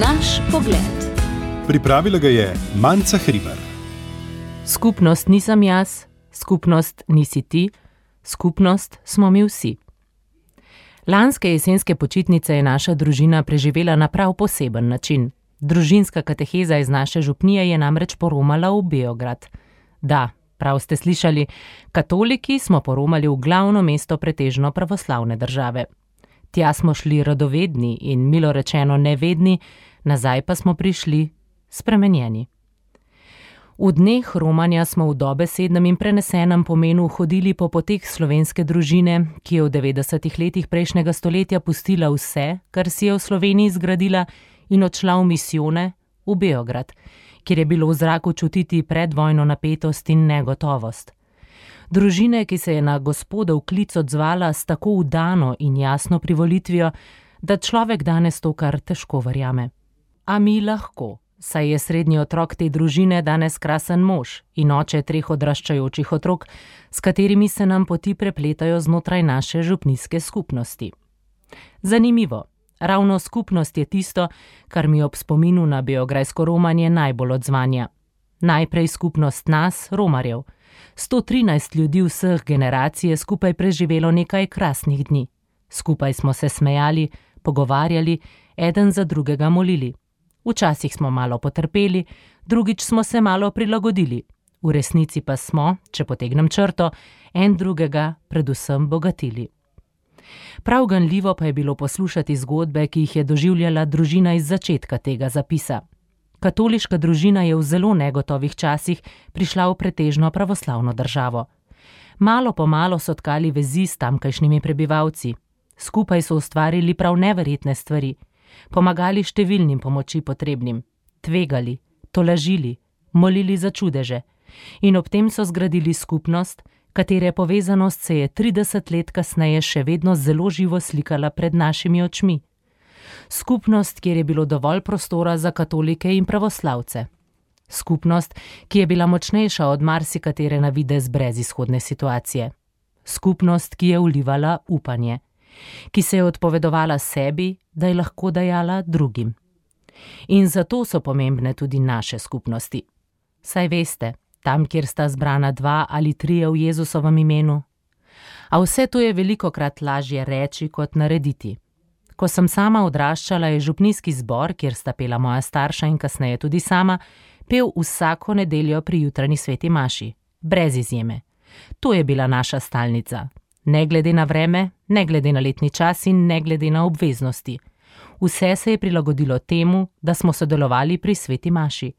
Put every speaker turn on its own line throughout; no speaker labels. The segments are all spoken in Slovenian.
Naš pogled.
Pripravila ga je Manca Hribar.
Skupnost nisem jaz, skupnost nisi ti, skupnost smo mi vsi. Lanske jesenske počitnice je naša družina preživela na prav poseben način. Družinska kateheza iz naše župnije je namreč poromala v Beograd. Da, prav ste slišali, katoliki smo poromali v glavno mesto pretežno pravoslavne države. Tja smo šli radovedni in milo rečeno nevedni, nazaj pa smo prišli spremenjeni. V dneh romanja smo v dobesednem in prenesenem pomenu hodili po poteh slovenske družine, ki je v 90. letih prejšnjega stoletja pustila vse, kar si je v Sloveniji zgradila, in odšla v misijone v Beograd, kjer je bilo v zraku čutiti predvojno napetost in negotovost. Družine, ki se je na Gospodov klic odzvala s tako vdano in jasno privolitvijo, da človek danes to kar težko verjame. A mi lahko, saj je srednji otrok te družine danes krasen mož in oče 3 odraščajočih otrok, s katerimi se nam poti prepletajo znotraj naše župnijske skupnosti. Zanimivo, ravno skupnost je tisto, kar mi ob spominu na beograjsko romanje najbolj odzvanja. Najprej skupnost nas, romarjev. 113 ljudi vseh generacij je skupaj preživelo nekaj krasnih dni. Skupaj smo se smejali, pogovarjali, eden za drugega molili. Včasih smo malo potrpeli, drugič smo se malo prilagodili. V resnici pa smo, če potegnem črto, en drugega predvsem bogatili. Prav ganljivo pa je bilo poslušati zgodbe, ki jih je doživljala družina iz začetka tega zapisa. Katoliška družina je v zelo negotovih časih prišla v pretežno pravoslavno državo. Malo po malo so tkali vezi s tamkajšnjimi prebivalci. Skupaj so ustvarili prav neverjetne stvari. Pomagali številnim pomoči potrebnim, tvegali, tolažili, molili za čudeže in ob tem so zgradili skupnost, katere povezanost se je 30 let kasneje še vedno zelo živo slikala pred našimi očmi. Skupnost, kjer je bilo dovolj prostora za katolike in pravoslavce. Skupnost, ki je bila močnejša od marsikatere na videz brezizhodne situacije. Skupnost, ki je vlivala upanje, ki se je odpovedovala sebi, da je lahko dajala drugim. In zato so pomembne tudi naše skupnosti. Saj veste, tam, kjer sta zbrana 2 ali 3 v Jezusovem imenu. A vse to je velikokrat lažje reči kot narediti. Ko sem sama odraščala, je župnijski zbor, kjer sta pela moja starša in kasneje tudi sama, pel vsako nedeljo pri jutranji sveti maši, brez izjeme. To je bila naša stalnica. Ne glede na vreme, ne glede na letni čas in ne glede na obveznosti. Vse se je prilagodilo temu, da smo sodelovali pri sveti maši.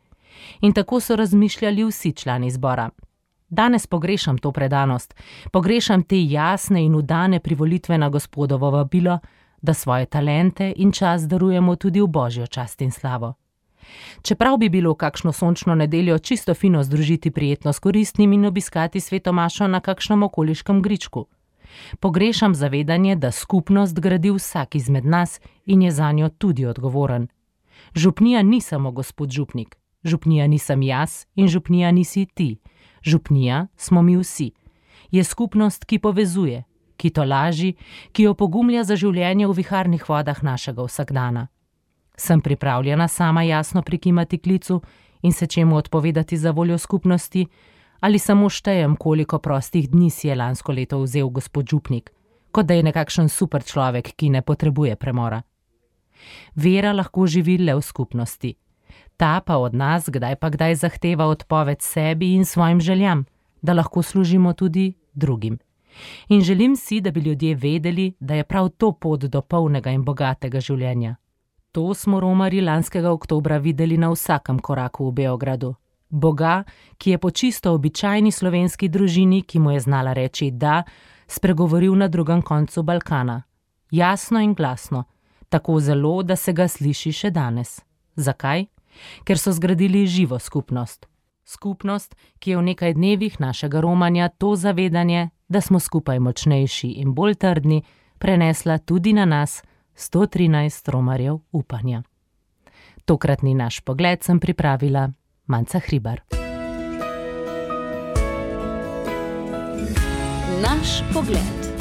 In tako so razmišljali vsi člani zbora. Danes pogrešam to predanost, pogrešam te jasne in vdane privolitve na Gospodovo vabilo, da svoje talente in čas darujemo tudi v Božjo čast in slavo. Čeprav bi bilo kakšno sončno nedeljo čisto fino združiti prijetno s koristnim in obiskati sveto mašo na kakšnem okoliškem gričku. Pogrešam zavedanje, da skupnost gradi vsak izmed nas in je zanjo tudi odgovoren. Župnija ni samo gospod župnik, župnija nisem jaz in župnija nisi ti. Župnija smo mi vsi. Je skupnost, ki povezuje, ki tolaži, ki jo pogumlja za življenje v viharnih vodah našega vsakdana. Sem pripravljena sama jasno prikimati klicu in se čemu odpovedati za voljo skupnosti, ali samo štejem, koliko prostih dni si je lansko leto vzel gospod župnik, kot da je nekakšen super človek, ki ne potrebuje premora. Vera lahko živi le v skupnosti. Ta pa od nas kdaj pa kdaj zahteva odpoved sebi in svojim željam, da lahko služimo tudi drugim. In želim si, da bi ljudje vedeli, da je prav to pot do polnega in bogatega življenja. To smo romarji lanskega oktobra videli na vsakem koraku v Beogradu. Boga, ki je po čisto običajni slovenski družini, ki mu je znala reči da, spregovoril na drugem koncu Balkana. Jasno in glasno, tako zelo, da se ga sliši še danes. Zakaj? Ker so zgradili živo skupnost. Skupnost, ki je v nekaj dnevih našega romanja to zavedanje, da smo skupaj močnejši in bolj trdni, prenesla tudi na nas 113 romarjev upanja. Tokratni naš pogled sem pripravila Manca Hribar.
Naš pogled.